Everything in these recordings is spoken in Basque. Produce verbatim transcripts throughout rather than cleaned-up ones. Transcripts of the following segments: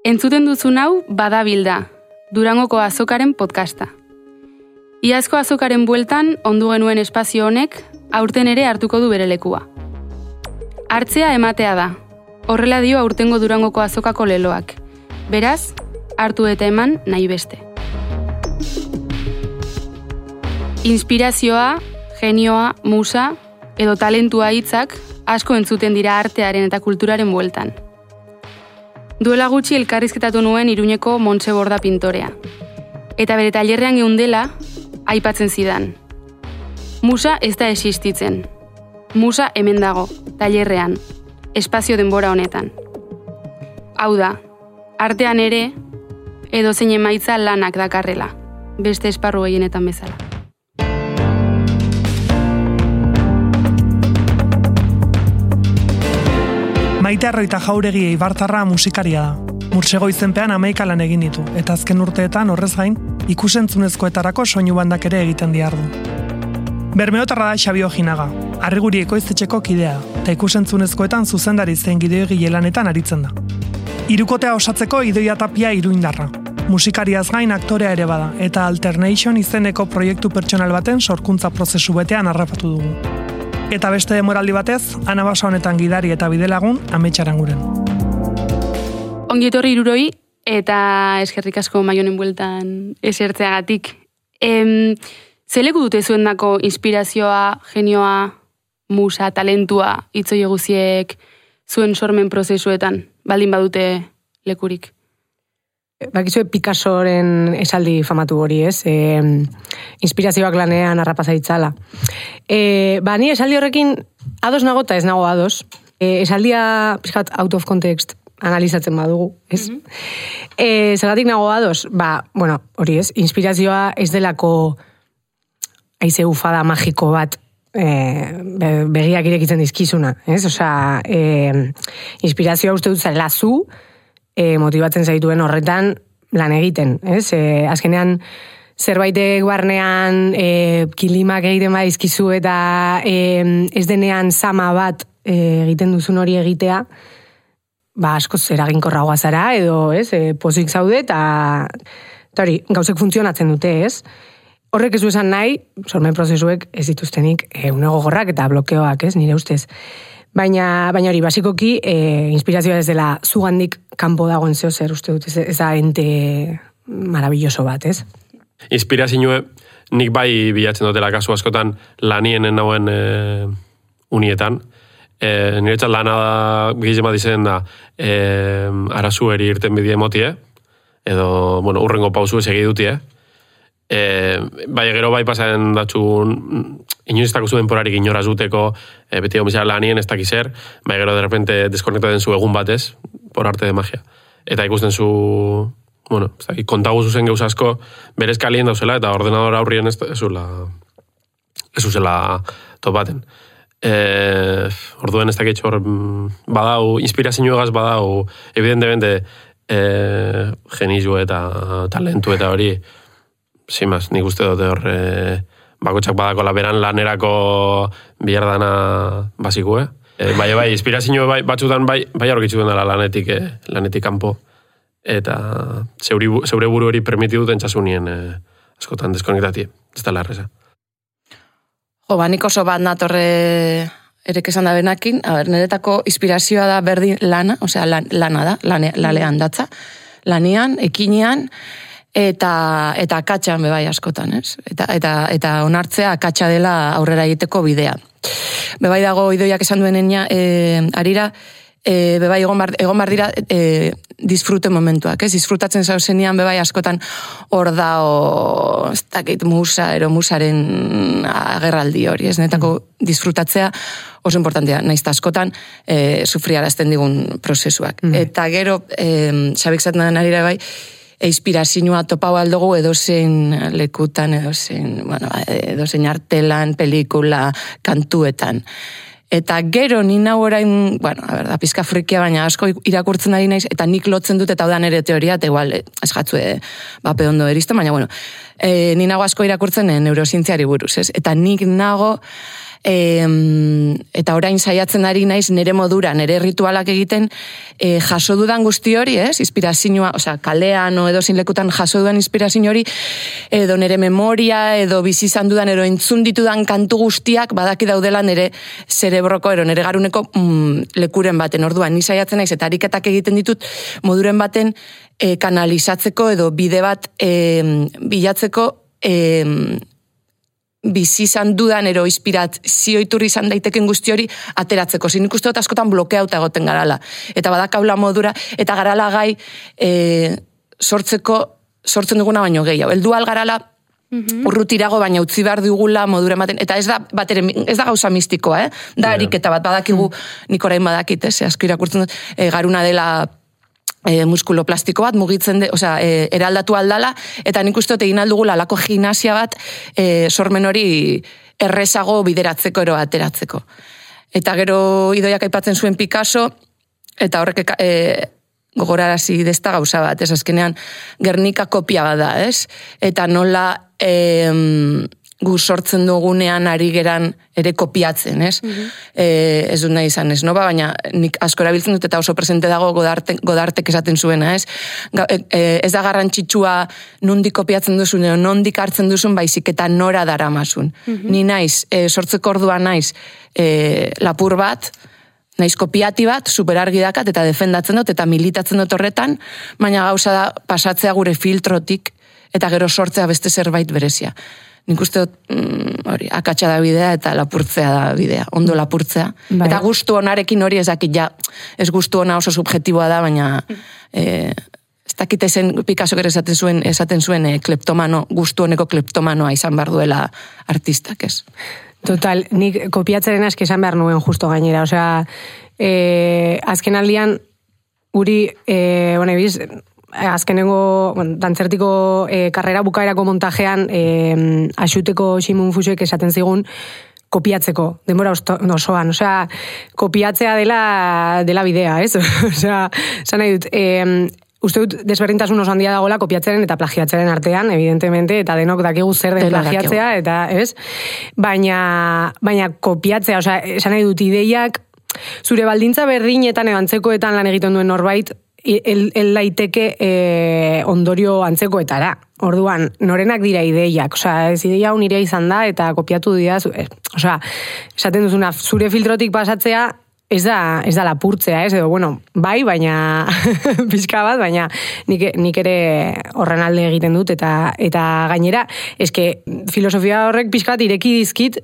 Entzuten duzun hau Badabilda, Durangoko azokaren podcasta. Iazko azokaren bueltan ondu genuen espazio honek aurten ere hartuko du bere lekua. Hartzea ematea da, horrela dio aurtengo Durangoko azokako leloak. Beraz, hartu eta eman nahi beste. Inspirazioa, genioa, musa edo talentua hitzak asko entzuten dira artearen eta kulturaren bueltan. Duela gutxi elkarrizketatu nuen Iruñeko Montse Borda pintorea. Eta bere tailerrean geundela, aipatzen zidan. Musa ez da existitzen. Musa hemen dago, tailerrean, espazio denbora honetan. Hau da, artean ere, edo zein emaitza lanak dakarrela, beste esparru gehienetan bezala. Maite Arroita Jauregi Eibartarra musikaria da. Mursego izenpean hamaika lan egin ditu, eta azken urteetan horrez gain, ikusentzunezkoetarako soinu bandak ere egiten diardu. Bermeotarra da Xabi Ojinaga, Arriguri ekoiztetxeko kidea, eta ikusentzunezkoetan zuzendari zen gideogile lanetan aritzen da. Hirukotea osatzeko Idoia Tapia iruindarra. Musikariaz gain aktorea ere bada, eta Alternation izeneko proiektu pertsonal baten sorkuntza prozesu betean harrapatu dugu. Eta beste demoraldi batez, Anabasa honetan gidari eta bidelagun ametsaran guren. Ongi etorri hiruroi eta eskerrik asko Maionen bueltan esertzeagatik. Em, Zeleku dute zuendako inspirazioa, genioa, musa, talentua, itzoi guziek zuen sormen prozesuetan, baldin badute lekurik? Bakizue Picassoren esaldi famatu hori, ez? E, inspirazioak lanean harrapasa itzala. E, ba, ni esaldi horrekin ados nago eta ez nago ados. E, esaldia, pixkat, out of context analizatzen badugu, ez? Mm-hmm. E, zergatik nago ados? Ba, bueno, hori ez, inspirazioa ez delako haize ufada magiko bat e, begiak irekitzen dizkizuna, ez? Osea, e, inspirazioa uste dut zela zu, E, motibatzen zaituen horretan lan egiten, ez? E, azkenean zerbaitek barnean e, kilimak egiten badizkizu eta e, ez denean sama bat e, egiten duzun hori egitea, ba askoz eraginkorragoa zara edo, ez? E, pozik zaude eta eta hori, gauzek funtzionatzen dute, ez? Horrek ez du esan nahi, sormen prozesuek ez dituztenik e, une gogorrak eta blokeoak, ez? Nire ustez. Baina, baina hori, basikoki, e, inspirazioa ez dela zugandik kanpo dagoen zeo zer, uste dut, ez, ez da ente maravilloso bat, ez? Inspirazioa nik bai bilatzen dutela kasu askotan lanienen nauen e, unietan. E, niretzat lana da, gizema dizen da, e, arazueri irten bidie motie, edo, bueno, urrengo pausu ez egidutie. E, bai, gero bai pasaren datxun, inoiz ez dakuzu denporarik inoraz duteko, e, beti gomizara lanien ez dakizer, bai, gero de repente deskonektaten zu egun batez, por arte de magia. Eta ikusten zu, bueno, kontagu zuzen geuz asko, berez kalien dauzela, eta ordenador aurrien ez zula, ez zuzela topaten. E, orduen ez dakitxo hor, badau, inspirazioagaz badau, evidentemente, e, genizio eta talentu eta hori, zimaz, nik uste dute hor, e, bakotxak badako laberan lanerako bilardana basikue. E, bai, bai, inspirazio bai, batzutan bai, bai aurkitzu dela lanetik, e, lanetik kanpo. Eta zeuri, zeure buru hori permiti duten txasunien e, askotan deskonektatie. Ez da larreza. Jo, ba, nik oso bat natorre erek esan da benakin. A ber, niretako inspirazioa da berdin lana, osea, lan, lana da, lane, lalean datza. Lanean, ekinean, eta eta akatsan bebai askotan, ez? Eta eta eta onartzea akatsa dela aurrera egiteko bidea. Bebai dago Idoiak esan duenenia, eh arira eh bebai egon bar, egon bar dira eh disfrute momentuak, ez? Disfrutatzen zauzenean bebai askotan hor da o ez dakit musa ero musaren agerraldi hori, ez? Netako disfrutatzea oso importantea, naiz ta askotan eh sufriarazten digun prozesuak. Mm. Eta gero eh Xabik zaten arira bai inspirazioa topau aldugu edozein lekutan, edozein, bueno, edozein artelan, pelikula, kantuetan. Eta gero ni nau orain, bueno, a ber, da pizka frikia, baina asko irakurtzen ari naiz, eta nik lotzen dut, eta da nere teoria, eta igual, ez jatzue bape ondo eristen, baina, bueno, e, ni nago asko irakurtzen neurozientziari buruz, ez? Eta nik nago E, eta orain saiatzen ari naiz nire modura, nire ritualak egiten, e, jaso dudan guzti hori, ez? Inspirazioa, osea, kalean o edo zinlekutan jaso dudan inspirazio hori, edo nire memoria, edo bizi izan dudan, edo entzun ditudan kantu guztiak badaki daudela nire zerebroko, edo nire garuneko mm, lekuren baten. Orduan, ni saiatzen naiz, eta ariketak egiten ditut moduren baten e, kanalizatzeko, edo bide bat e, bilatzeko e, bizi izan dudan ero inspirazio iturri izan daiteken guzti hori ateratzeko. Zin ikuste dut askotan blokeauta egoten garala. Eta badakaula modura, eta garala gai e, sortzeko, sortzen duguna baino gehiago. Eldu algarala mm-hmm. urrutirago baina utzi behar dugula modura ematen. Eta ez da, batere, ez da gauza mistikoa, eh? Da ariketa bat badakigu, mm. nik orain badakit, eh? Asko irakurtzen dut, e, garuna dela E, muskulo plastiko bat, mugitzen de, osea, e, eraldatu aldala, eta nik uste dut egin aldugula alako gimnasia bat e, sormen hori errezago bideratzeko ero ateratzeko. Eta gero idoiak aipatzen zuen Picasso, eta horrek e, gogorarazi dezta gauza bat, ez azkenean Gernika kopia bat da, ez? Eta nola e, gu sortzen dugunean ari geran ere kopiatzen, ez? Mm-hmm. E, ez dut nahi izan, ez, no? Ba, baina nik asko erabiltzen dut eta oso presente dago godarte, godartek esaten zuena, ez? Ga, e, ez da garrantzitsua nondik kopiatzen duzun, edo nondik hartzen duzun, baizik eta nora daramasun. Mm-hmm. Ni naiz, e, sortzeko ordua naiz e, lapur bat, naiz kopiati bat, superargi dakat, eta defendatzen dut, eta militatzen dut horretan, baina gauza da pasatzea gure filtrotik, eta gero sortzea beste zerbait berezia. Nik uste dut, mm, hori, akatsa da bidea eta lapurtzea da bidea, ondo lapurtzea. Bai. Eta gustu onarekin hori ez dakit, ja, ez gustu ona oso subjetiboa da, baina eh, ez dakit ezen Picasso ere esaten zuen, esaten zuen eh, kleptomano, gustu honeko kleptomanoa izan behar duela artistak, ez. Total, nik kopiatzaren aski esan behar nuen justo gainera, osea, eh, azken aldian, guri, eh, bueno, ebiz, azkenengo, bueno, dantzertiko e, karrera bukaerako montajean e, axuteko Ximun Fuxuek esaten zigun kopiatzeko, denbora osoan, osea, kopiatzea dela, dela bidea, ez? Osea, zan nahi dut, e, uste dut desberdintasun oso handia dagoela kopiatzaren eta plagiatzaren artean, evidentemente, eta denok dakigu zer den plagiatzea, eta, ez? Baina, baina kopiatzea, osea, esan nahi dut ideiak, zure baldintza berdinetan edo antzekoetan lan egiten duen norbait, el, el laiteke eh, ondorio antzekoetara. Orduan, norenak dira ideiak, osea, ez ideia unirea izan da, eta kopiatu dira, eh, osea, esaten duzuna, zure filtrotik pasatzea, ez da, ez da lapurtzea, ez, edo, bueno, bai, baina, pixka bat, baina nik, nik ere horren alde egiten dut, eta, eta gainera, eske, filosofia horrek pixka bat ireki dizkit,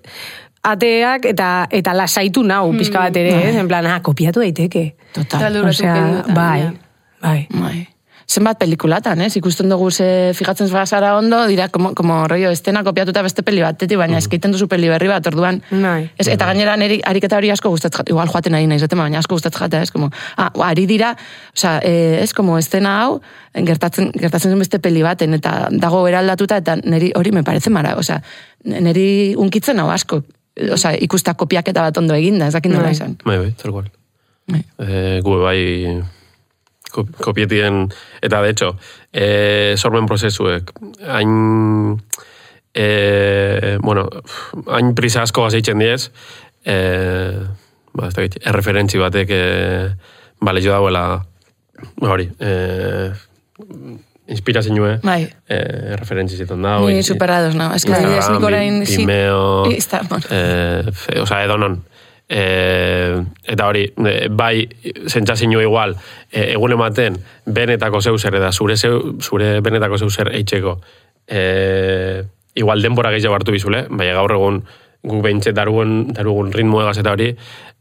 ateak eta eta lasaitu nau pixka bat ere, ez? En plan, ah, kopiatu daiteke. Total. Osea, bai, bai. Bai. Zenbat pelikulatan, ez? Ikusten dugu ze fijatzen zara ondo, dira, como, como rollo estena kopiatuta beste peli batetik, baina mm. eskaiten duzu peli berri bat, orduan. Bai. Ez, eta gainera neri ariketa hori asko gustatzen jata, igual joaten ari naiz, baina asko gustatzen jata, ez? Como, ah, ari dira, osea, ez, como estena hau, gertatzen, gertatzen beste peli baten, eta dago eraldatuta, eta neri hori me parece mara, osea, neri unkitzen hau asko, osea, ikusta kopiaketa bat ondo eginda, ez dakit nola izan. Bai, bai, tal cual. Bai. Eh, gu bai kopietien, eta de hecho, eh, sormen prozesuek, hain, eh, bueno, hain prisa asko gazeitzen diez, eh, ba, ez dakit, erreferentzi batek, eh, bale jo dauela, hori, eh, inspirazioa, bai. eh, referentzi ziton da. Ni superados, no? Ez que ez nik orain... Vimeo, eh, osea, edo non. Eh, eta hori, eh, bai, zentzazio igual, eh, egun ematen, benetako zeu zer, eda zure, zeu, zure benetako zeu zer eitxeko, eh, igual denbora gehiago hartu bizule, bai, gaur egun gu behintze darugun, darugun ritmo egaz eta hori,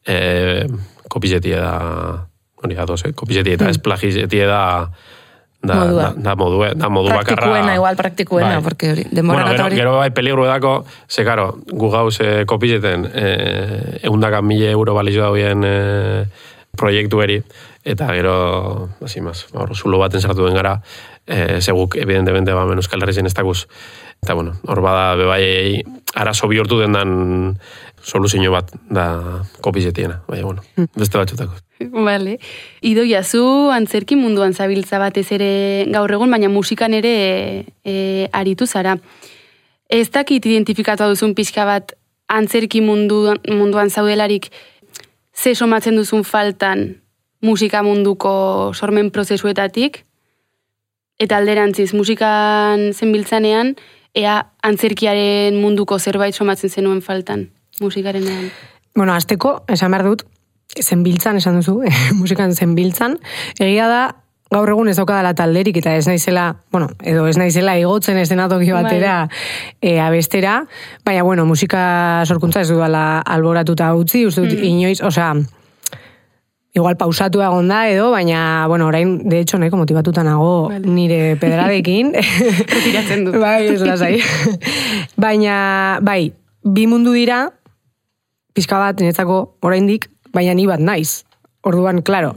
eh, kopizetie da, hori, ados, eh, kopizetie eta hmm. ez plagizetie da, Da, modua. Da, da modua, da modu bakarra. Praktikuena, igual praktikuena, bai. Porque hori, denbora bueno, gero, hori. Gero bai peligro edako, ze karo, gu gauz eh, kopizeten eh, eundaka mille euro balizio dauen eh, proiektu eri, eta gero, hasi maz, hor, zulo baten sartu den gara, eh, seguk, evidentemente, ba, men Euskal Herrizen ez dakuz. Eta, bueno, hor bada, bebai, arazo bihurtu den dan soluzio bat da kopizetiena, baina, bueno, beste batxutako. Vale. Idoia, zu antzerki munduan zabiltza batez ere gaur egun, baina musikan ere e, e, aritu zara. Ez dakit identifikatu duzun pixka bat antzerki mundu, munduan zaudelarik, ze somatzen duzun faltan musika munduko sormen prozesuetatik, eta alderantziz, musikan zenbiltzanean, ea antzerkiaren munduko zerbait somatzen zenuen faltan, musikarenean. Bueno, azteko, esan behar dut, zenbiltzan, esan duzu, musikan zenbiltzan, egia da, gaur egun ez daukadala talderik, eta ez naizela, bueno, edo ez naizela igotzen eszenatoki batera e, abestera, baina, bueno, musika sorkuntza ez dudala alboratuta utzi, uste dut, mm. inoiz, osea, igual pausatu egon da edo, baina, bueno, orain, de hecho, nahiko motibatuta nago vale. Nire pedradekin. Retiratzen dut. Bai, ez lasai. Baina, bai, bi mundu dira, pixka bat, niretzako, oraindik, baina ni bat naiz. Orduan, klaro,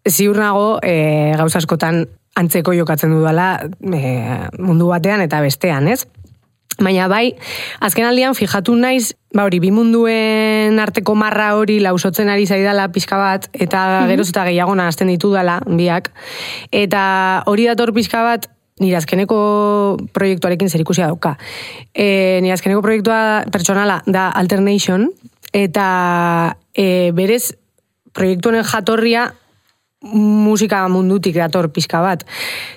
ziur nago e, gauza askotan antzeko jokatzen dudala e, mundu batean eta bestean, ez? Baina bai, azken aldian fijatu naiz, ba hori, bi munduen arteko marra hori lausotzen ari zaidala pixka bat, eta geroz eta gehiago nahazten ditu dala, biak. Eta hori dator pixka bat, nire azkeneko proiektuarekin zerikusia dauka. E, nire azkeneko proiektua pertsonala da Alternation, eta e, berez proiektu honen jatorria musika mundutik dator pixka bat.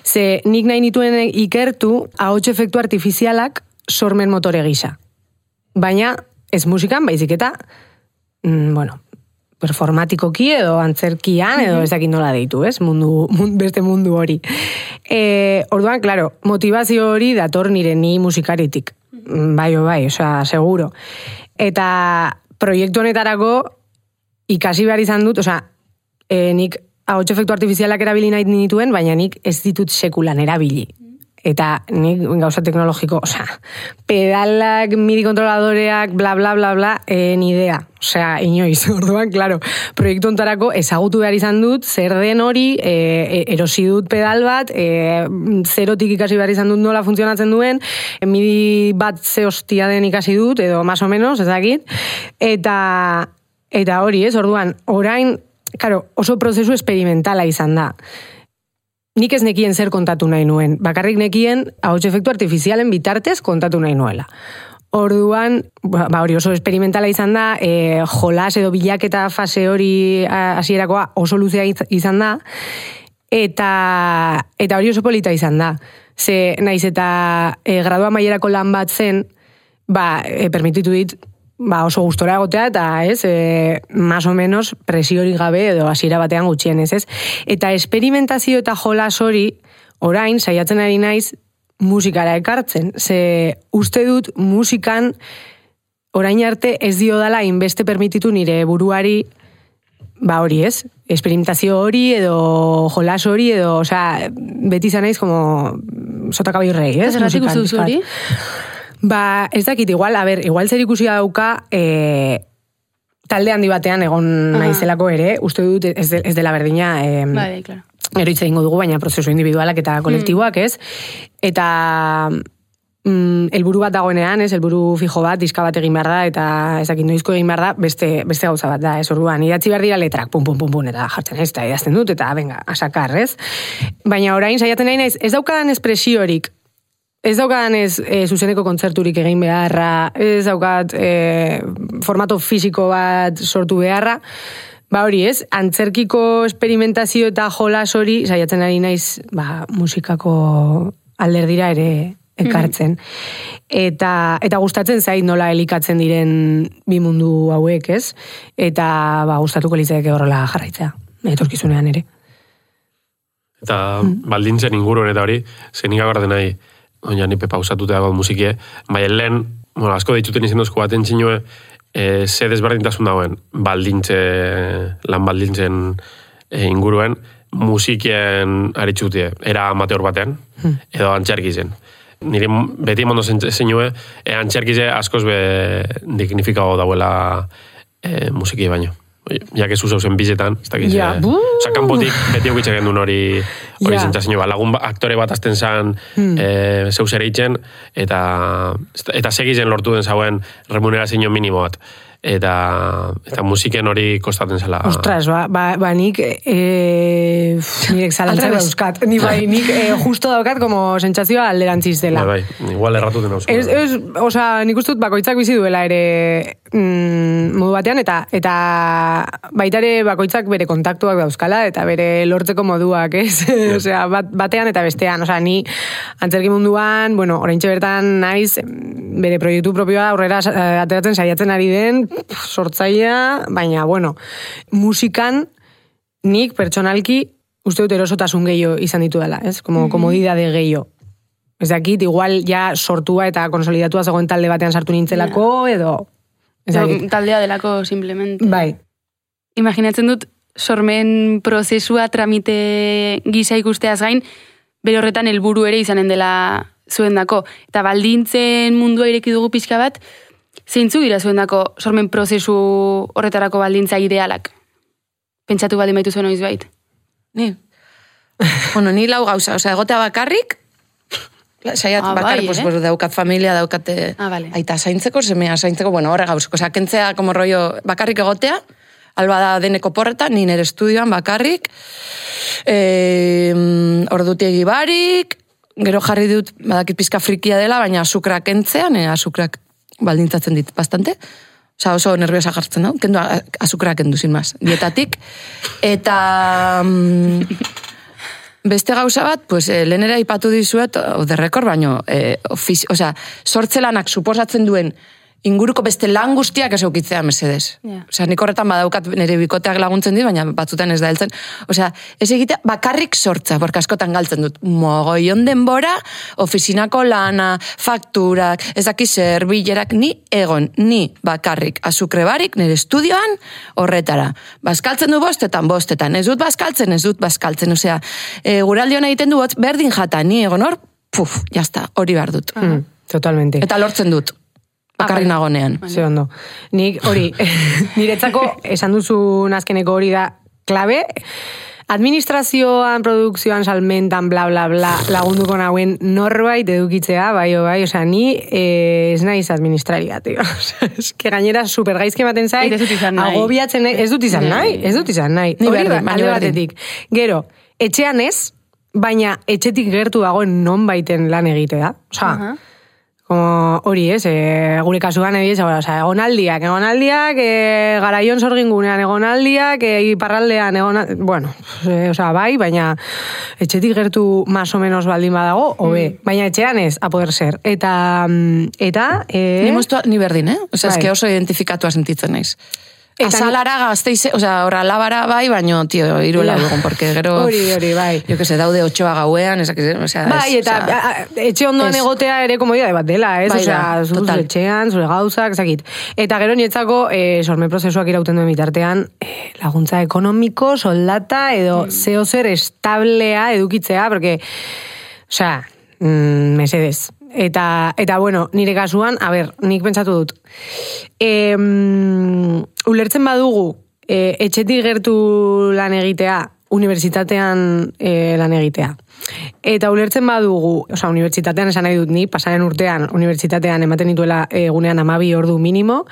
Ze nik nahi nituen ikertu ahots efektu artifizialak sormen motore gisa. Baina ez musikan, baizik eta mm, bueno, performatikoki edo antzerkian edo ez dakit nola deitu, ez? Mundu, mundu, beste mundu hori. E, orduan, claro, motivazio hori dator nire ni musikaritik. Bai, bai, osea, seguro. Eta proiektu honetarako ikasi behar izan dut, osea, e, nik ahots efektu artifizialak erabili nahi nituen, baina nik ez ditut sekulan erabili. Eta nik gauza teknologiko, osea, pedalak, midi kontroladoreak, bla, bla, bla, bla, eh, ni idea. Osea, inoiz, orduan, klaro, proiektu ontarako ezagutu behar izan dut, zer den hori, e, erosi dut pedal bat, e, zerotik ikasi behar izan dut nola funtzionatzen duen, midi bat ze hostia den ikasi dut, edo más o menos, ez dakit, eta, eta hori, ez, orduan, orain, claro, oso prozesu experimentala izan da. Nik ez nekien zer kontatu nahi nuen. Bakarrik nekien ahots efektu artifizialen bitartez kontatu nahi nuela. Orduan, ba hori oso experimentala izan da, e, jolas edo bilaketa fase hori hasierakoa oso luzea izan da, eta, eta hori oso polita izan da. Ze naiz eta e, gradua maierako lan bat zen, ba, e, permititu dit, ba oso gustora egotea, eta ez, e, más o menos presiorik gabe edo hasiera batean gutxienez, ez? Eta esperimentazio eta jolas hori, orain, saiatzen ari naiz, musikara ekartzen. Ze uste dut musikan orain arte ez dio dala inbeste permititu nire buruari, ba hori ez, experimentazio hori edo jolas hori edo, osea, beti izan naiz como sota caballo rey, ez? Zerratik uste duzu hori? Ba, ez dakit, igual, a ber, igual zer ikusia dauka e, talde handi batean egon naizelako ere, uste dut ez, de, ez dela berdina e, bai, claro. Gero hitz egingo dugu, baina prozesu individualak eta kolektiboak, ez? Eta mm, helburu bat dagoenean, ez? Helburu fijo bat, diska bat egin behar da, eta ez dakit noizko egin behar da, beste, beste gauza bat da, ez? Orduan, idatzi behar dira letrak, pum, pum, pum, pum, eta jartzen ez, eta idazten dut, eta venga, asakar, ez? Baina orain, saiatzen nahi naiz, ez daukadan espresiorik, ez daukadan ez e, zuzeneko kontzerturik egin beharra, ez daukat e, formato fisiko bat sortu beharra, ba hori ez, antzerkiko experimentazio eta jolas hori, saiatzen ari naiz, ba, musikako alderdira ere ekartzen. Mm-hmm. Eta, eta gustatzen zait nola elikatzen diren bi mundu hauek, ez? Eta ba, gustatuko litzaidake horrela jarraitzea, etorkizunean ere. Eta mm. baldintzen inguruen eta hori, zenik agarden nahi, oina nipe pausatuta dago musikie, baina lehen, bueno, asko dituten izan dozko baten txinue, e, ze desberdintasun dagoen, baldintze, lan baldintzen e, inguruen, musikien aritzutie, era amateur batean, hmm. edo antxerkizen. Nire beti mondo zenue, e, antxerkize askoz be dignifikago dauela e, musikie baino. Ja que zuzau zen bizetan, ez dakiz, ja, oza, kanpotik beti eukitza gendun hori hori ja. Zentzazio, lagun aktore bat azten zan hmm. e, zeu zer eitzen, eta, eta segizen lortu den zauen remunerazio minimo bat. eta, eta musiken hori kostaten zela. Ostras, ba, ba, ba nik e, nirek zalantzak dauzkat. Ni bai, nik e, justo daukat como sentsazioa alderantziz dela. Bai, bai, igual erratuten hausko. Ez, ez, oza, nik ustut bakoitzak bizi duela ere mm, modu batean, eta eta baita ere bakoitzak bere kontaktuak dauzkala, eta bere lortzeko moduak, ez? Yeah. Osea, bat, batean eta bestean. Osea, ni antzerki munduan, bueno, oraintxe bertan naiz, bere proiektu propioa aurrera ateratzen saiatzen ari den, sortzailea, baina, bueno, musikan nik pertsonalki uste dut erosotasun gehiago izan ditu dela, ez? Como mm-hmm. komodidade gehiago. Ez dakit, igual ja sortua eta konsolidatua zegoen talde batean sartu nintzelako, yeah. edo... Ez dakit. Taldea delako, simplemente. Bai. Imaginatzen dut, sormen prozesua tramite gisa ikusteaz gain, bere horretan helburu ere izanen dela zuendako. Eta baldintzen mundua ireki dugu pixka bat, zeintzuk dira zuendako sormen prozesu horretarako baldintza idealak? Pentsatu baldin baitu zuen oiz bait? Ni? Bueno, ni lau gauza, osea, egotea bakarrik, saiat ah, bakarrik, bai, pues, eh? pues, daukat familia, daukate ah, vale. aita zaintzeko, semea zaintzeko, bueno, horre gauzko, osea, kentzea, como rollo, bakarrik egotea, alba da deneko porreta, ni nire estudioan bakarrik, e, ordutiegi barik, gero jarri dut, badakit pizka frikia dela, baina azukrak kentzea, nire azukrak baldintzatzen dit bastante, oza, oso nerviosa jartzen da, kendu azukrak kendu, sin más, dietatik, eta mm, beste gauza bat, pues, eh, lehenera ipatu dizuet, de record, baino, eh, ofizi, oza, sortzelanak suposatzen duen inguruko beste lan guztiak ez eukitzea mesedez. Yeah. Osea, nik horretan badaukat nire bikoteak laguntzen dit, baina batzutan ez da heltzen. Osea, ez egitea bakarrik sortza, porque askotan galtzen dut. Mogoion denbora, ofizinako lana, fakturak, ez daki zer, bilerak, ni egon, ni bakarrik, azukre barik, nire estudioan, horretara. Bazkaltzen du bostetan, bostetan. Ez dut bazkaltzen, ez dut bazkaltzen. Osea, e, guraldion egiten du, berdin jata, ni egon hor, puf, jazta, hori behar dut. Mm, totalmente. Eta lortzen dut. Bakarri nagonean. Ze ondo. Nik hori, niretzako esan duzun azkeneko hori da klabe, administrazioan, produkzioan, salmentan, bla, bla, bla, lagunduko nauen norbait edukitzea, bai, bai, osea, ni eh, ez naiz administraria, tio. Ez que gainera supergaizke ematen zait, ez dut izan nahi. Agobiatzen, ez dut izan nahi, ez dut izan nahi. Ni Hori berdin, da, alde batetik. Gero, etxean ez, baina etxetik gertu dagoen non baiten lan egitea. Osea, uh -huh. Como hori, ez, e, gure kasuan egiz, oza, egonaldiak, egonaldiak, e, garaion sorgingunean egonaldiak, e, iparraldean egonaldiak, bueno, e, oza, bai, baina etxetik gertu más o menos baldin badago, hobe, mm. baina etxean ez, a poder ser. Eta, eta... E... Ni moztua, ni berdin, eh? Oza, bai. Eske oso identifikatua sentitzen naiz. Azalara gazteize, oza, horra labara bai, baino, tio, iruela dugun, porque gero... Hori, hori, bai. Jo que se daude otxoa gauean, esak, osea... Bai, eta oza, etxe ondoan es, egotea ere komodidade bat dela, ez? Bai, osea, zure etxean, zure gauzak, ezakit. Eta gero nietzako, eh, sormen prozesuak irauten duen bitartean, eh, laguntza ekonomiko, soldata, edo mm. zeo zer establea edukitzea, porque, osea, mm, mesedez. Eta, eta, bueno, nire kasuan, a ber, nik pentsatu dut. E, um, ulertzen badugu, e, etxetik gertu lan egitea, unibertsitatean e, lan egitea. Eta ulertzen badugu, oza, unibertsitatean esan nahi dut ni, pasaren urtean, unibertsitatean ematen dituela egunean amabi ordu minimo,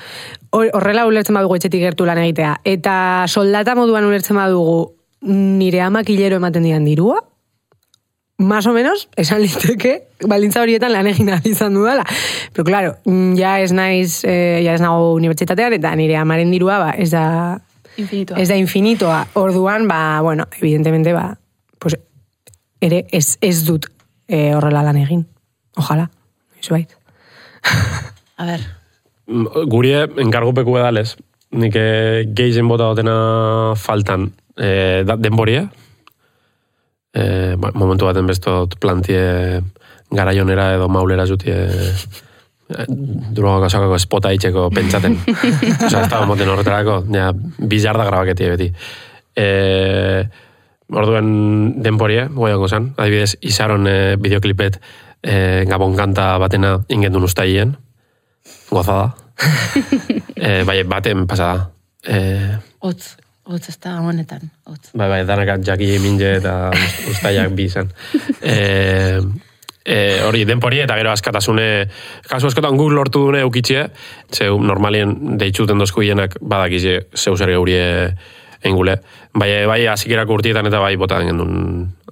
horrela ulertzen badugu etxetik gertu lan egitea. Eta soldata moduan ulertzen badugu, nire amak hilero ematen dian dirua, más o menos, esan liteke, baldintza horietan lan egin izan dudala. Pero claro, ja ez naiz, eh, ja ez nago unibertsitatean, eta nire amaren dirua, ba, ez da... Infinitoa. Ez da infinitoa. Orduan, ba, bueno, evidentemente, ba, pues, ere ez, ez dut eh, horrela lan egin. Ojalá, iso bait. A ver. Gurie, enkargupeku edales, nik gehien bota dotena faltan eh, denboria, Eh, momentu baten bestot plantie garaionera edo maulera jutie eh, droga kasakako espota itxeko pentsaten. Osa, ez da moten horretarako, ja, bizarda grabaketie beti. Eh, orduen denporie, goiango zan, adibidez, izaron eh, bideoklipet eh, gabon kanta batena ingendun ustaien, gozada. eh, bai, baten pasada. Eh, Otz. Otz, ez da honetan, otz. Bai, bai, danakat jaki minge eta ustaiak bi izan. E, e, hori denpori eta gero askatasune, kasu askotan guk lortu dune eukitxe, zeu normalien deitzuten dozku hienak badakize zeu zer geurie engule. Bai, bai hasikerak urtietan eta bai botan gendun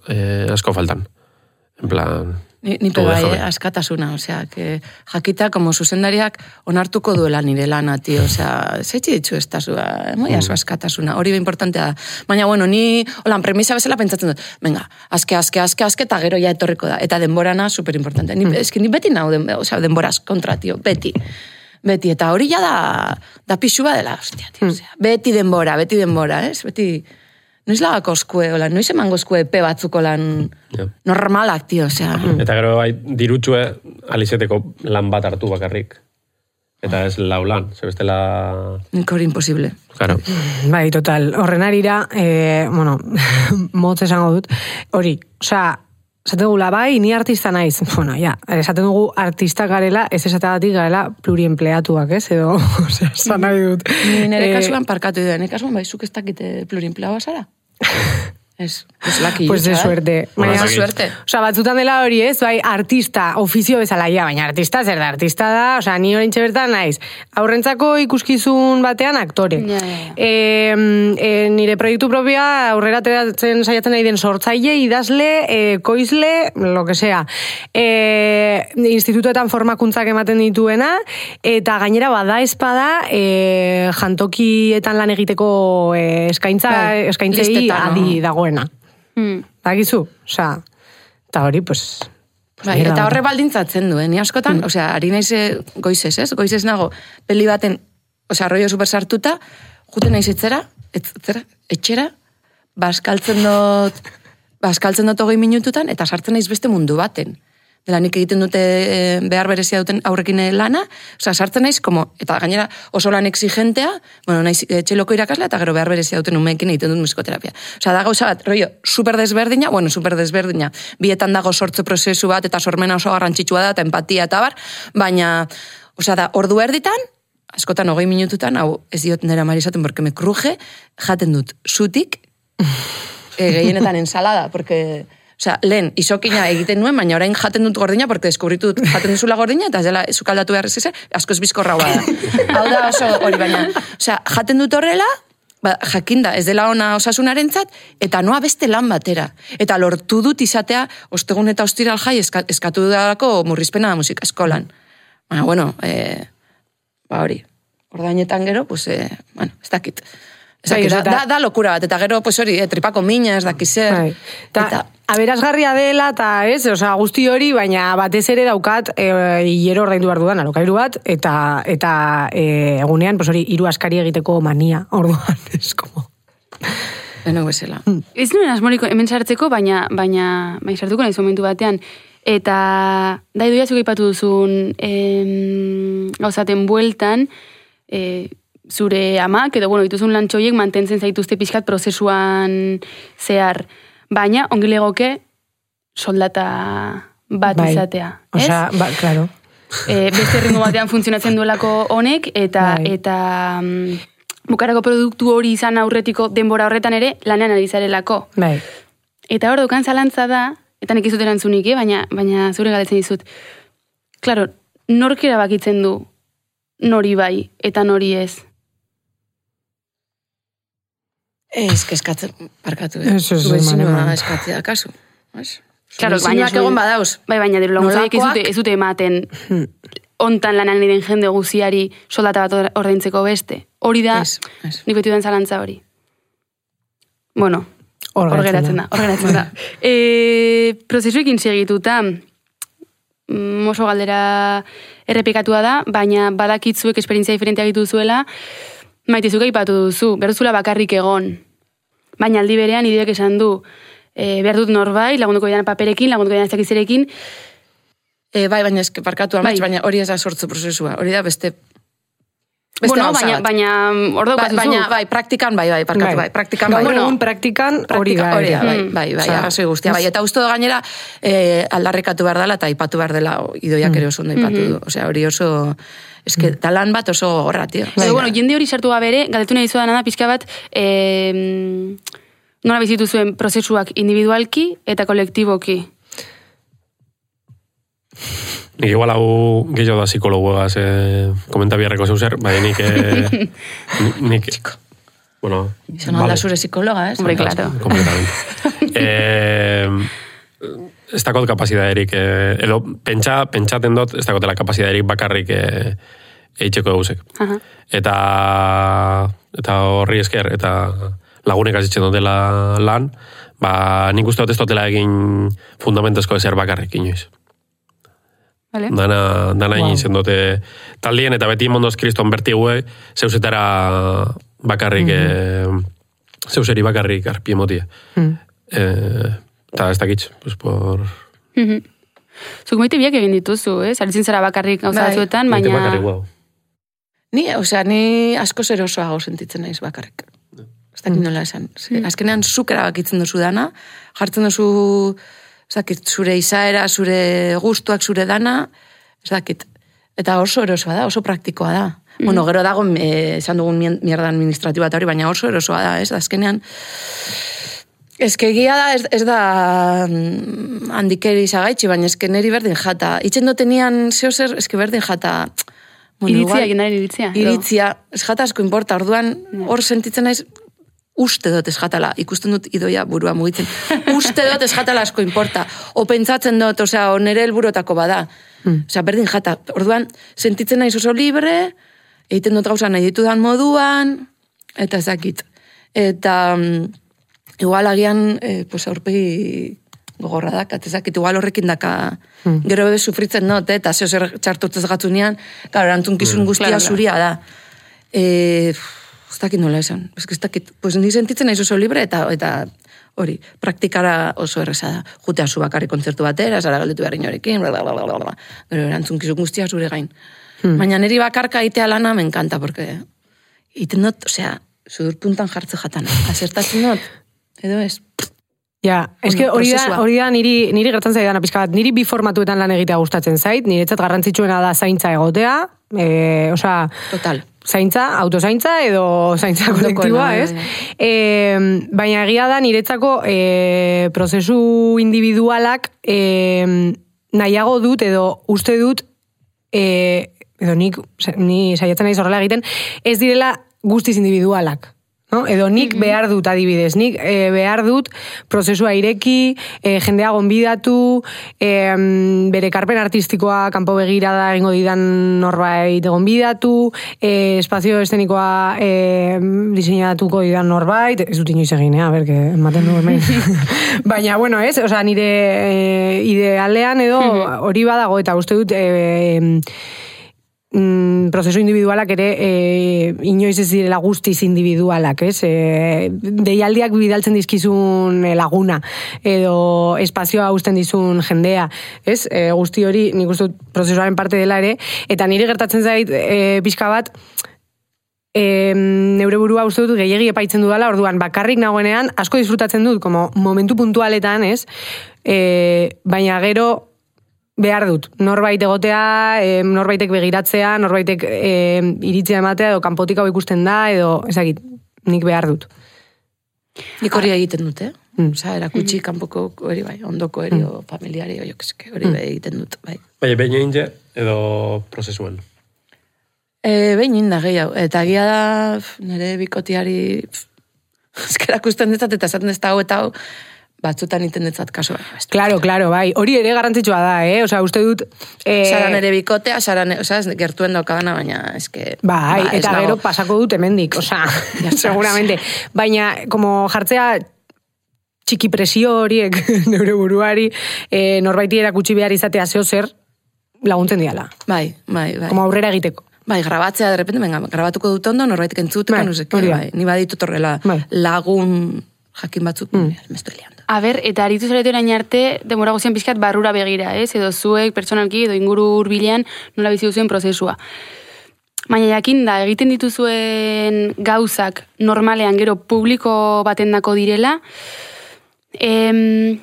e, asko faltan. En plan... Ni, ni pe bai, eh, askatasuna, osea, que jakita, como zuzendariak onartuko duela nire lana, tio, osea, zeitzi ditzu ez tazua, moi aso askatasuna, hori be importantea da. Baina, bueno, ni, holan, premisa bezala pentsatzen dut, venga, aske, aske, aske, aske, eta gero ja etorriko da, eta denborana superimportantea. Ni, eski, ni beti nau, den, osea, denboraz kontra, tio, beti. Beti, eta hori ja da, da pixua dela, ostia, tio, osea, beti denbora, beti denbora, ez, beti... Noiz lagako oskue, hola, noiz emango oskue pe batzuko lan yeah. normalak, tio, osea. Eta gero, bai, dirutxue alizeteko lan bat hartu bakarrik. Eta ez lau lan, zebestela... Hori imposible. Claro. Bai, total, horren arira, eh, bueno, motz esango dut, hori, osea, esaten dugula, bai, ni artista naiz. Bueno, ja, esaten dugu artista garela, ez esatagatik garela pluriempleatuak, ez? Edo, osea, esan nahi dut. Ni nire kasuan parkatu dut, nire kasuan bai, zuk ez dakite pluriempleatua zara? Ez, pues laki pues de suerte. Baina, de suerte. Osa, batzutan dela hori ez, bai, artista, ofizio bezala, ja, baina artista zer da, artista da, osa, ni horintxe bertan naiz, aurrentzako ikuskizun batean aktore. Ja, ja, ja. E, e, nire proiektu propioa aurrera ateratzen saiatzen nahi den sortzaile, idazle, e, koizle, lo que sea. E, institutuetan formakuntzak ematen dituena, eta gainera bada espada, e, jantokietan lan egiteko e, eskaintza, bai, eskaintzei listetan, adi no? dagoena. Hmm. Bakizu, osea, eta hori, pues... pues bai, eta horre baldintzatzen duen, ni askotan, Mm. osea, ari naiz goizez, ez? Goizez nago, peli baten, osea, rollo super sartuta, juten naiz etzera, etzera, etxera, baskaltzen dut, baskaltzen dut hogei minututan, eta sartzen naiz beste mundu baten. Dela nik egiten dute behar berezia duten aurrekin lana, osea, sartzen naiz, como, eta gainera oso lan exigentea, bueno, naiz txeloko irakasla, eta gero behar berezia duten umeekin egiten dut musikoterapia. Osea, da gauza bat, rollo, super desberdina, bueno, super desberdina, bietan dago sortze prozesu bat, eta sormena oso garrantzitsua da, eta empatia eta bar, baina, osea, da, ordu erditan, askotan hogei minututan, hau ez diot nera mari esaten, porque me kruje, jaten dut zutik, e, gehienetan ensalada, porque... Osea, lehen, isokina egiten nuen, baina orain jaten dut gordina, porque deskubritu dut jaten duzula gordina, eta ez dela zukaldatu behar ez ezer, asko ez bizkorra da. Hau da oso hori baina. Osea, jaten dut horrela, ba, jakinda, ez dela ona osasunarentzat, eta noa beste lan batera. Eta lortu dut izatea, ostegun eta ostiral jai, eska, eskatu dudalako murrizpena musika eskolan. Baina, bueno, e, ba hori, ordainetan gero, pues, e, bueno, ez dakit. Ez dakit, da, da, da lokura bat, eta gero, pues hori, e, tripako mina, ez dakizer. Bai. Ta, eta aberasgarria dela, eta ez, osea, guzti hori, baina batez ere daukat, e, hilero ordaindu behar dudan, alokairu bat, eta, eta e, egunean, pues hori, hiru askari egiteko mania, orduan, ez como... Beno bezala. Ez nuen asmoriko hemen sartzeko, baina, baina, baina sartuko nahiz momentu batean. Eta, da idoia zuk aipatu duzun, em, gauzaten bueltan, e, zure amak, edo, bueno, dituzun lantxoiek mantentzen zaituzte pixkat prozesuan zehar. Baina, ongi legoke, soldata bat bai. izatea. Ez? Osea, ba, claro. E, beste ritmo batean funtzionatzen duelako honek, eta, Bai. eta um, bukarako produktu hori izan aurretiko denbora horretan ere, lanean ari zarelako. Bai. Eta hor dukan zalantza da, eta nik izut erantzunik, eh? baina, baina zure galetzen dizut. Claro, nork erabakitzen du nori bai, eta nori ez. Ez, eskatzen, parkatu. Ez, ez, Zure eman, eman. zinua eskatzea, kasu. Claro, baina egon badauz. Bai, baina diru laguntzaik ez Nolakoak? dute, ez dute ematen ontan lanan diren jende guziari soldata bat ordaintzeko beste. Hori da, Ez, ez. nik beti duen zalantza hori. Bueno, Hor hor geratzen geratzen da, hor geratzen da. E, prozesuekin segituta, mm, oso galdera errepikatua da, baina badakitzuek esperientzia diferentea gitu zuela, maitezuk aipatu duzu, behar duzula bakarrik egon. Baina aldi berean ideak esan du, e, behar dut norbait, lagunduko bidan paperekin, lagunduko bidan ezakizerekin. E, bai, baina eske parkatu amats, Bai. baina hori ez da sortzu prozesua. Hori da beste... Beste Bueno, gauza baina, bat. baina hor Ba, daukazu baina, bai, praktikan, bai, bai, parkatu, bai, praktikan, bai. Gaur Bueno, egun praktikan hori praktika- da. hori da, ere. bai, Mm. bai, bai, Osea, arrazoi guztia, bai, eta uste do gainera eh, aldarrikatu behar dela, eta aipatu behar dela, idoiak ere oso ondo aipatu du. Osea, hori oso, eske, talan bat oso gorra, tio. Pero bueno, jende hori sartu gabere, galdetu nahi zudan da, pixka bat, eh, nola bizitu zuen prozesuak individualki eta kolektiboki. Nik igual hau gehiago da psikologoaz eh, komenta biharreko zeuzer, bai nik... Eh, nik bueno, izan alda zure psikologa, ez? Hombre, claro. Completamente. eh, ez dakot kapazitaterik, eh, edo pentsa, pentsaten dut, ez dakotela kapazitaterik bakarrik eh, eitzeko gauzek. Aha. Eta, eta horri esker, eta lagunek azitzen dutela lan, ba, nik uste dut ez dutela egin fundamentezko ezer bakarrik inoiz. Vale. Dana, dana wow. Egin dute taldien, eta beti mondoz kriston bertigue, zeuzetara bakarrik, mm-hmm. eh, zeuseri bakarrik arpi emotie. Mm. Eh, eta ez dakitz, pues por... Mm-hmm. Zuk moite biak egin dituzu, eh? Zaritzen zara bakarrik gauza batzuetan, baina... Moite bakarrik, wow. Ni, osea, ni asko zerosoago sentitzen naiz bakarrik. Ez dakit nola esan. Mm. Azkenean zuk erabakitzen duzu dana, jartzen duzu... Ez dakit, zure izaera, zure gustuak, zure dana, ez dakit. Eta oso erosoa da, oso praktikoa da. Mm. Bueno, gero dago, eh, esan dugun mierda administratiba eta hori, baina oso erosoa da, ez? Azkenean, ezkegia da, ez, ez da handikeri zagaitxi, baina ezke neri berdin jata. Itzen dotenian zehozer, ezke berdin jata... Bueno, iritzia, ginaren iritzia. Iritzia, ez jata asko importa, orduan hor sentitzen naiz, uste dut ez jatala, ikusten dut idoia burua mugitzen, uste dut ez jatala asko importa, o pentsatzen dut, osea, o nere helburotako bada, mm. osea, berdin jata, orduan, sentitzen naiz oso libre, egiten dut gauza nahi ditudan moduan, eta ezakit, eta um, igual agian, eh, pues aurpegi gogorra dakat, ezakit, igual horrekin daka, mm. gero bebe sufritzen dut, eta zeo zer txartotzez gatzunean, claro, erantzun guztia mm, zuria da, eh, ez dakit nola esan, ez dakit, pues ni sentitzen naiz oso libre, eta eta hori, praktikara oso erreza da. Jutea zu bakarri kontzertu batera, zara galdetu behar inorekin, blablabla, gero erantzun guztia zure gain. Hmm. Baina niri bakarka itea lana me encanta, porque iten dut, osea, sudur puntan jartze jatana, asertatzen dut, edo ez... Ja, eske hori da, hori da niri, niri gertzen zaidana pizka bat, niri bi formatuetan lan egitea gustatzen zait, niretzat garrantzitsuena da zaintza egotea, e, osea... Total. Zaintza, autozaintza edo zaintza kolektiboa, ez? E, baina egia da niretzako e, prozesu individualak e, nahiago dut edo uste dut e, edo nik, ni saiatzen naiz horrela egiten, ez direla guztiz individualak. No? Edo nik mm-hmm. behar dut adibidez, nik e, behar dut prozesua ireki, e, jendea gonbidatu, e, bere karpen artistikoa kanpo begirada egingo didan norbait gonbidatu, e, espazio eszenikoa e, diseinatuko didan norbait, ez dut inoiz egin, eh? A ber, que ematen du hemen. Baina, bueno, ez, oza, nire e, idealean edo hori badago, eta uste dut... E, Mm, prozesu individualak ere e, inoiz ez direla guztiz individualak, ez? E, deialdiak bidaltzen dizkizun laguna edo espazioa uzten dizun jendea, ez? E, guzti hori nik uste dut prozesuaren parte dela ere, eta niri gertatzen zait e, pixka bat e, neure burua uste dut gehiegi epaitzen dudala, orduan bakarrik nagoenean asko disfrutatzen dut, como momentu puntualetan, ez? E, baina gero behar dut, norbait egotea, e, norbaitek begiratzea, norbaitek e, iritzia ematea, edo kanpotik hau ikusten da, edo, ezagit, nik behar dut. Nik hori egiten dut, eh? Mm. Osa, erakutsi kanpoko hori bai, ondoko eri, mm. o familiari, o jokeske, hori mm. egiten dut, bai. Bai, behin egin je, edo prozesuan? E, behin inda gehiago, eta gira da, nire bikotiari, ezkerak usten detzat, eta esaten ez da hau, eta hau, batzutan iten detzat kaso. Claro, claro, bai. Hori ere garrantzitsua da, eh? Osa, uste dut... Eh... Saran ere bikotea, saran, osa, gertuen daukadana, baina, eske... Bai, ba, eta gero pasako dut hemendik, osa, seguramente. Baina, como jartzea txiki presio horiek neure buruari, eh, norbaiti erakutsi behar izatea zeo zer laguntzen diala. Bai, bai, bai. Como aurrera egiteko. Bai, grabatzea, de repente, venga, grabatuko dut ondo, norbaitik entzuteko, bai, nuzeke, bai. Ni baditut horrela bai. Lagun jakin batzuk, mm. me estoy liando. A ber, eta aritu zaretu erain arte, demora guzien pixkat barrura begira, ez? Edo zuek, pertsonalki, edo inguru hurbilean nola bizi duzuen prozesua. Baina jakin da, egiten dituzuen gauzak normalean gero publiko baten dako direla, em,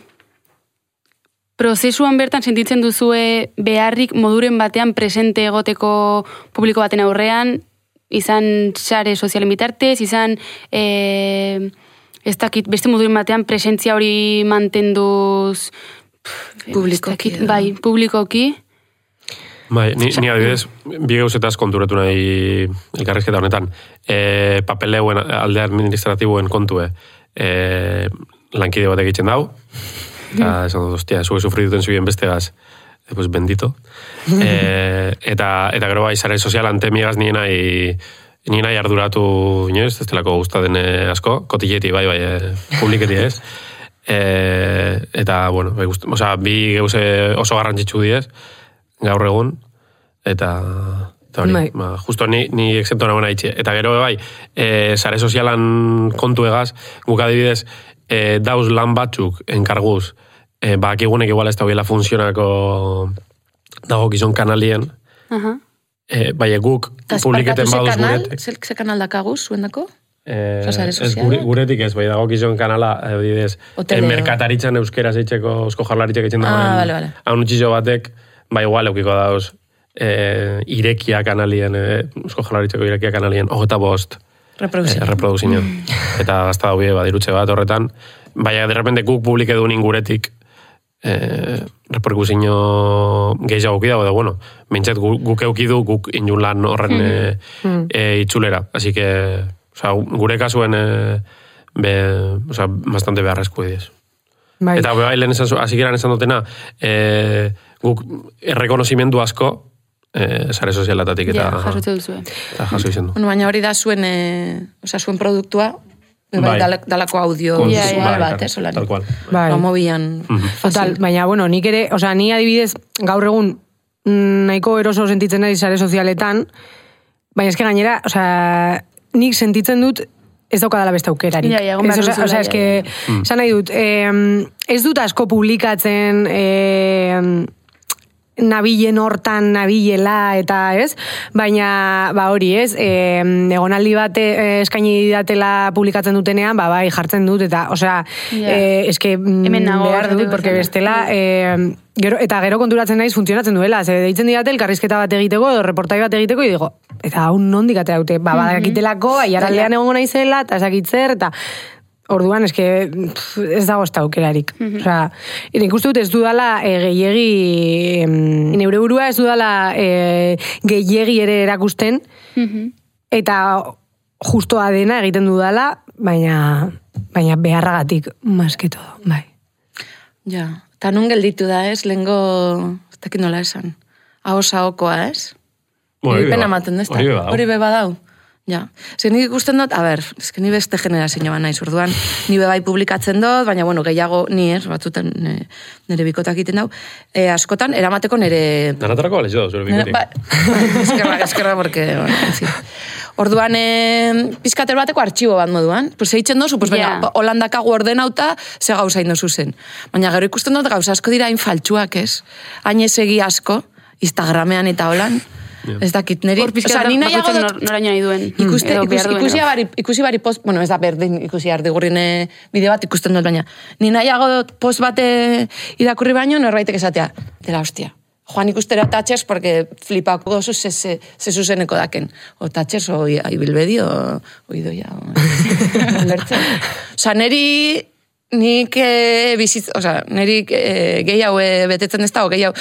prozesuan bertan sentitzen duzue beharrik moduren batean presente egoteko publiko baten aurrean, izan sare sozialen bitartez, izan... E, ez dakit, beste moduren batean presentzia hori mantenduz Publikoki. Bai, publikoki. Bai, ni, ni adibidez, bi gauzetaz konturatu nahi elkarrizketa honetan. E, papeleuen alde administratiboen kontue e, lankide bat egiten dau. Eta esan dut, ostia, zuge sufrituten zuen bestegaz, e, pues bendito. E, eta, eta gero bai, zare sozialan temigaz nien nahi, nien nahi arduratu, inoiz, ez delako gustaten asko, kotilleti, bai, bai, e, publiketi ez. E, eta, bueno, bai, gust, oza, bi gauze oso garrantzitsu diez, gaur egun, eta, eta hori, bai. ba, justo ni, ni exento nagoena itxe. Eta gero, bai, e, sare sozialan kontu egaz, guk adibidez, e, dauz lan batzuk enkarguz, e, bakigunek igual ez da hubiela funtzionako dago gizon kanalien, Aha. e, bai, guk publiketen baduz guretek. Ze, ze kanal dakaguz, zuendako? Eh, Osa, sare ez sozialak? gure, guretik ez, bai, dago gizon kanala, adibidez, Hoteleo. en merkataritzan euskera zeitzeko, eusko jarlaritzak eitzen Ah, dagoen, vale, vale. haun utxizo batek, bai, igual eukiko dauz, e, irekia kanalien, e, eusko jarlaritzako irekia kanalien, hogeta bost, Reproduzio. e, reproduzio. Eta gazta daue, badirutze bat horretan, baina, de repente, guk publike dunin guretik, e, reperkusio gehiago dago, edo, bueno, mintzat guk, guk eukidu, guk inun lan horren e, e, itzulera. Así que, oza, gure kasuen e, be, oza, bastante beharrezko diez. Bai. Eta bai, lehen esan, azikeran esan dutena, e, guk errekonozimendu asko, e, sare sozialatatik eta, Ja, jasotze duzue. eta jaso izen du. Bueno, baina hori da zuen, e, oza, zuen produktua, bai, Bai. dala- dalako audio Kon- Ja, ja, bai, bai, bat, ez, holan. tal cual. Bai. Promobian Total, baina, bueno, nik ere, osea, ni adibidez, gaur egun mm, nahiko eroso sentitzen naiz sare sozialetan, baina eske gainera, osea, nik sentitzen dut ez daukadala beste aukerarik. Ja, ja, egon Ez, behar osea, duzula, osea, ja, eske, ja, esan nahi dut, eh, ez dut asko publikatzen eh, nabilen hortan, nabilela, eta ez, baina, ba hori ez, eh, egonaldi bat eh, eskaini didatela publikatzen dutenean, ba bai, jartzen dut, eta, osea, Ja. eh, eske mm, Hemen nago, behar dut, esateko porque bezala. bestela, eh, gero, eta gero konturatzen naiz funtzionatzen duela, ze deitzen didate elkarrizketa bat egiteko, edo reportai bat egiteko, y digo, eta hau nondik atea dute, ba, badakitelako, aiaraldean egongo naizela, eta esakitzer, eta orduan, eske, pff, ez dago ez da aukerarik. Osea, nik uste dut ez dudala e, gehiegi, em, neure burua ez dudala e, gehiegi ere erakusten, eta justoa dena egiten dudala, baina, baina beharragatik, más que todo, bai. Ja, eta nun gelditu da, ez, lehengo, ez dakit nola esan, ahos ahokoa, ez? Bueno, hori Hori pena be ba- ematen du, ez da? hori be badau. Hori be badau. Ja. Zer nik ikusten dut, a ber, eske ni beste generazio bat naiz, orduan, ni be bai publikatzen dut, baina, bueno, gehiago ni ez, batzutan ne, nire bikotak egiten dau, e, askotan, eramateko nire... Danatarako bale jo, zure bikotik. Ba, eskerra, eskerra, porque, bueno, en fin. Orduan, eh, pizkater bateko artxibo bat moduan. Pues eitzen dozu, pues, Ja. baina, holandakagu ordenauta, ze gauza indozu zen. Baina gero ikusten dut gauza asko dira hain faltsuak, ez? Hain ezegi asko, Instagramean eta holan. Ez dakit, neri... Hor pizkata, ni nahiago bakoitzak dut- nor- noraino nahi duen. Ikuste, Edo ikusi, behar duen, ikusi, edo. bari, ikusi bari post, bueno, ez da berdin ikusi ardigurrin eh, bideo bat ikusten dut, baina ni nahiago dut post bate irakurri baino, norbaitek esatea, dela hostia. Joan ikustera tatxers, porque flipako dozu ze, ze, ze zuzeneko daken. O tatxers, o ibilbedi, o, o idoia. O, lertzen. Osa, neri nik e, bizitz, oza, niri e, gehiago e, betetzen ez da, o gehiago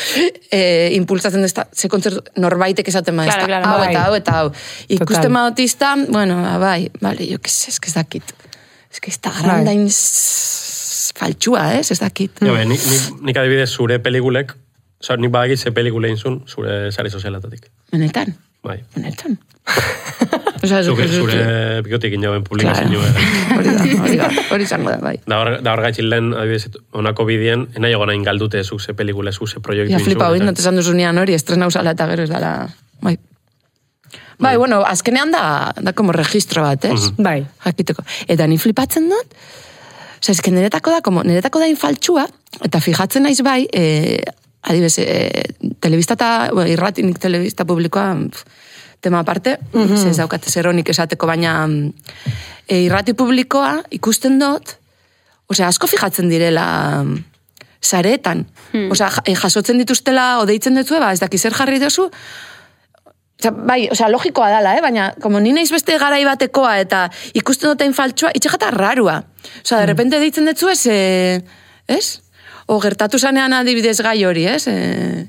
e, impulsatzen ez da, ze kontzertu norbaitek esaten ma ez da, Claro, claro, hau bai. eta hau eta hau. Ikusten Total. maotista, bueno, ba, bai, bale, jo, ez es que ez dakit. Ez que Instagram Bai. da ins... faltsua, ez, ez dakit. Ja, be, nik, nik, nik adibidez zure pelikulek, oza, nik badakit ze pelikule inzun zure sare sozialatatik. Benetan, Bai. benetan. Osa, Zure, zure bikotik inauen publikazio. Hori da, hori da, hori izango da, bai. Da hor, da hor gaitxin lehen, adibidez, onako bidien, enai egon hain galdute zu ze pelikule, zu ze proiektu Ja, inzun. flipa hori, eta- not esan duzunean hori, estrena usala eta gero ez dala, bai. Bai, bueno, azkenean da, da como registro bat, ez? Bai. Jakiteko. Eta ni flipatzen dut, oza, eske niretako da, como, niretako da infaltsua, eta fijatzen naiz bai, e, adibes, e, telebista eta, bueno, irratinik telebista publikoa, pf, tema aparte, mm -hmm. ez daukate zeronik esateko, baina e, irrati publikoa ikusten dut, osea, asko fijatzen direla sareetan. Hmm. Osea, ja- jasotzen dituztela, odeitzen dutzu, ba, ez daki zer jarri dozu, Osa, bai, osea, logikoa dala, eh? Baina, como ni naiz beste garai batekoa eta ikusten duten faltsua, itxegata rarua. Osea, de repente deitzen dutzu ez, eh, ez? o gertatu zanean adibidez gai hori, ez? E,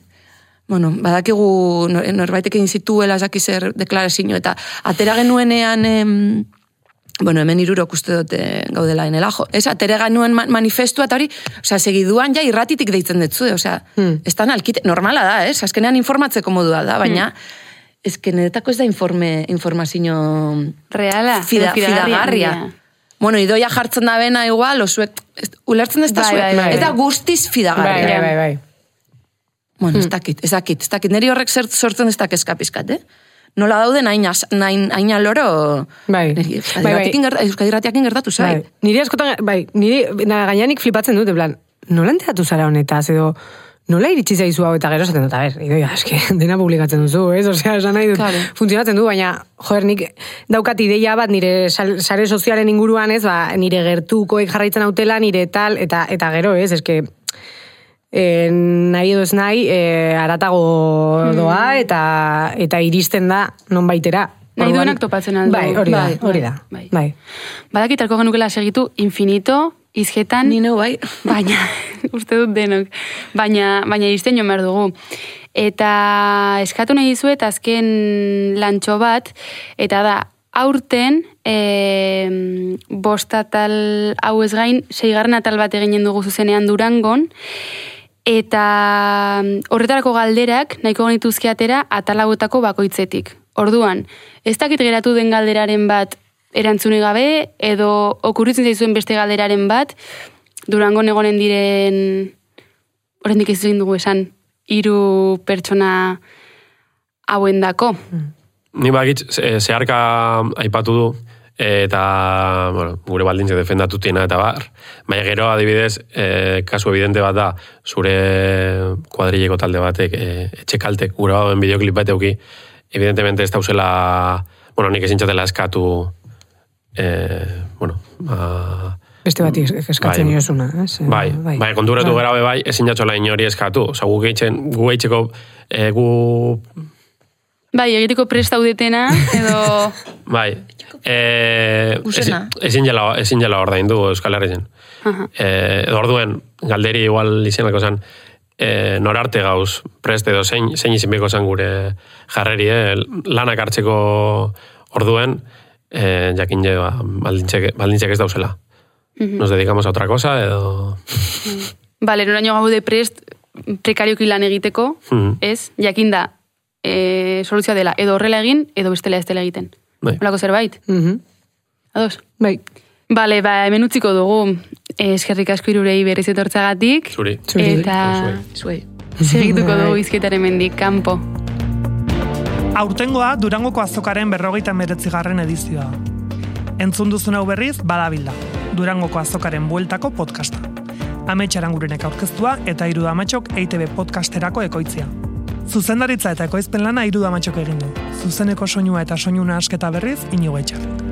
bueno, badakigu norbaitek egin zituela esaki zer deklarazio eta atera genuenean em, bueno, hemen irurok uste dute gaudela enela, jo. Ez, atera genuen manifestua eta hori, osea, segiduan ja irratitik deitzen detzu, osea, hmm. ez da nalkite, normala da, ez? Azkenean informatzeko modua da, baina hmm. ez que niretako ez da informe, informazio reala, fida, fidagarria. Bueno, idoia jartzen da bena igual, osuek, ulertzen ez da bai, zuek, bai, bai. eta guztiz fidagarria. Bai, bai, bai. Bueno, ez dakit, ez dakit, ez dakit, niri horrek sortzen ez dakit eskapizkat, eh? Nola dauden hain aloro bai. Euskadiratiakin gertatu zai. Bai. Niri askotan, bai, niri gaianik flipatzen dut, en plan, nola enteratu zara honetaz, edo nola iritsi zaizu hau eta gero esaten dut, a ber, idoia, eske, dena publikatzen duzu, ez? Osea, esan nahi dut, claro. Funtzionatzen du, baina, joder, nik daukat ideia bat nire sare sozialen inguruan, ez, ba, nire gertukoek jarraitzen hautela, nire tal, eta eta gero, ez, eske, E, nahi edo ez nahi, e, aratago doa eta eta iristen da non baitera. Nahi duenak topatzen aldo. Bai, hori da, hori da. Bai. Bai. Badakitarko genukela segitu infinito, izketan, Nino, bai. baina, uste dut denok, baina, baina iristen jo behar dugu. Eta eskatu nahi dizuet azken lantxo bat, eta da, aurten, e, bost atal hau ez gain, seigarren atal bat eginen dugu zuzenean Durangon, eta horretarako galderak nahiko genituzke atera atal hauetako bakoitzetik. Orduan, ez dakit geratu den galderaren bat erantzune gabe, edo okurritzen zaizuen beste galderaren bat, Durangon egonen diren, oraindik ez egin dugu esan, hiru pertsona hauen dako. Ni bakitz, zeharka aipatu du, eta, bueno, gure baldintze defendatutiena eta bar, baina gero adibidez, e, kasu evidente bat da, zure kuadrileko talde batek, e, etxekaltek, gure bauen bideoklip bat euki, evidentemente ez dauzela, bueno, nik ezin txatela eskatu, e, bueno, a, beste bat eskatzen bai, iosuna, ez? Bai, bai, bai konturatu bai. Gara bai, ezin jatzola inori eskatu, oza, gu geitzen, gu geitzeko, e, gu... Bai, egiteko prest daudetena, edo... Bai, e, ezin jala, ezin jala ordaindu Euskal Herrien. Uh-huh. E, edo orduen, galderi igual izenako zen, e, norarte gauz prest edo zein, zein izin beko zen gure jarreri, eh? Lanak hartzeko orduen, e, jakin je, ba, baldintzek ez dauzela. Uh-huh. Nos dedicamos a otra cosa, edo... Bale, noraino gaude prest prekarioki lan egiteko, uh-huh. ez, jakin da, E, soluzioa dela, edo horrela egin, edo bestela ez dela egiten. Bai. Olako zerbait? Mm-hmm. Ados? Bai. Bale, ba, hemen utziko dugu. Eskerrik asko irurei berriz etortzagatik. Zuri. Eta zuei. Segituko dugu izketaren mendik, kanpo. Aurtengoa Durangoko azokaren berrogeita meretzigarren edizioa. Entzun duzun hau berriz, badabilda. Durangoko azokaren bueltako podcasta. Amets Arangurenek aurkeztua eta Hiru Damatxok E I Te Be podcasterako ekoitzia. Zuzendaritza eta ekoizpen lana Hiru Damatxok egin du. Zuzeneko soinua eta soinuna asketa berriz Inigo Etxarrik.